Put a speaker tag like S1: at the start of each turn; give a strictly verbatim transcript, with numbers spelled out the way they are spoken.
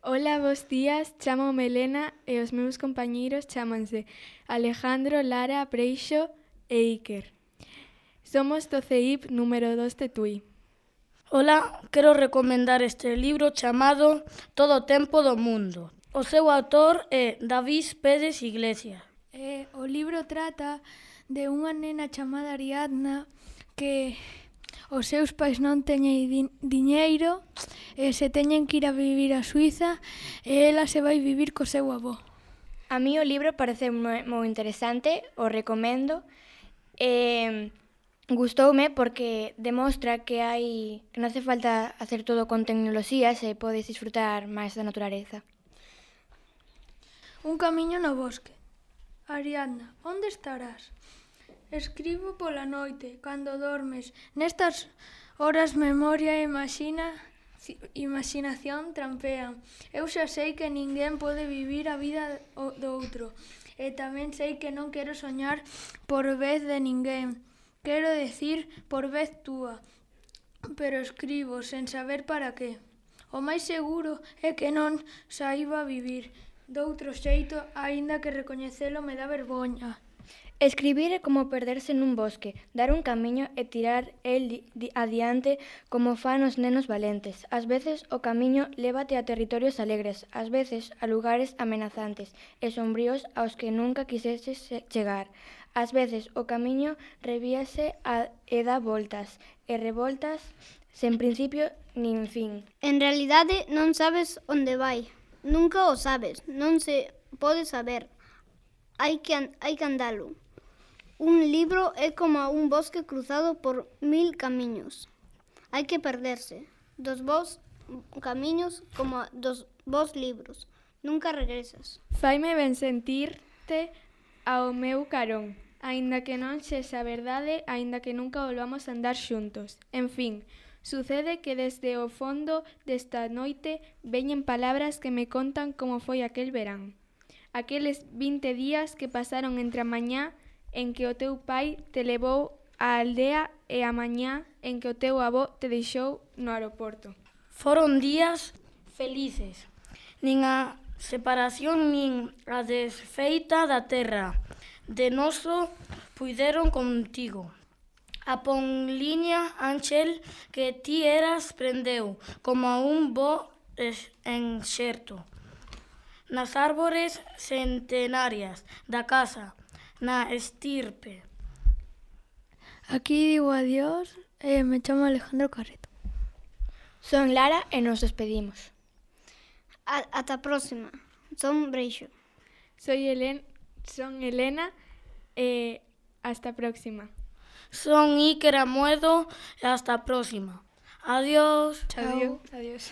S1: Ola, bos días, chámome Elena e os meus compañeiros chámanse Alejandro, Lara, Preixo e Iker. Somos do C I P número dos de Tui.
S2: Ola, quero recomendar este libro chamado Todo o tempo do mundo. O seu autor é David Pérez Iglesias.
S3: Eh, o libro trata de unha nena chamada Ariadna que os seus pais non teñen din- diñeiro e se teñen que ir a vivir a Suiza e ela se vai vivir co seu avó.
S4: A mí o libro parece moi, moi interesante, o recomendo. E gustoume porque demostra que hai que non hace falta hacer todo con tecnoloxías e podes disfrutar máis da naturaleza.
S3: Un camiño no bosque. Ariadna, onde estarás? Escribo pola noite, cando dormes. Nestas horas memoria e imaxina, imaginación trampean. Eu xa sei que ninguén pode vivir a vida do outro. E tamén sei que non quero soñar por vez de ninguén. Quero decir por vez túa. Pero escribo sen saber para qué. O máis seguro é que non saiba vivir doutro xeito, aínda que recoñecelo me dá vergoña.
S4: Escribir é como perderse nun bosque, dar un camiño e tirar el adiante como fan os nenos valentes. Ás veces o camiño lévate a territorios alegres, ás veces a lugares amenazantes e sombríos aos que nunca quiseses chegar. Ás veces o camiño revíase a, e dá voltas e revoltas sen principio nin fin.
S5: En realidade non sabes onde vai. Nunca o sabes, non se pode saber. Hai que, an- hai que andalo. Un libro é como un bosque cruzado por mil camiños. Hai que perderse dos bons camiños como dos bons libros. Nunca regresas.
S1: Faime ben sentirte ao meu carón, aínda que non sexa verdade, aínda que nunca volvamos a andar xuntos. En fin, sucede que desde o fondo desta noite veñen palabras que me contan como foi aquel verán. Aqueles vinte días que pasaron entre a mañá en que o teu pai te levou á aldea e a mañá en que o teu avó te deixou no aeroporto.
S2: Foron días felices. Nin a separación nin a desfeita da terra de noso puideron contigo. A ponliña Ángel que ti eras prendeu como un bo enxerto nas árbores centenarias da casa, na estirpe.
S3: Aquí digo adiós e me chamo Alejandro Carreto.
S4: Son Lara e nos despedimos.
S5: A- ata a próxima. Son Breixo.
S1: Soy Helen, son Elena e hasta a próxima.
S2: Son Iker Amuedo e hasta a próxima. Adiós.
S1: Adiós.
S3: Adiós.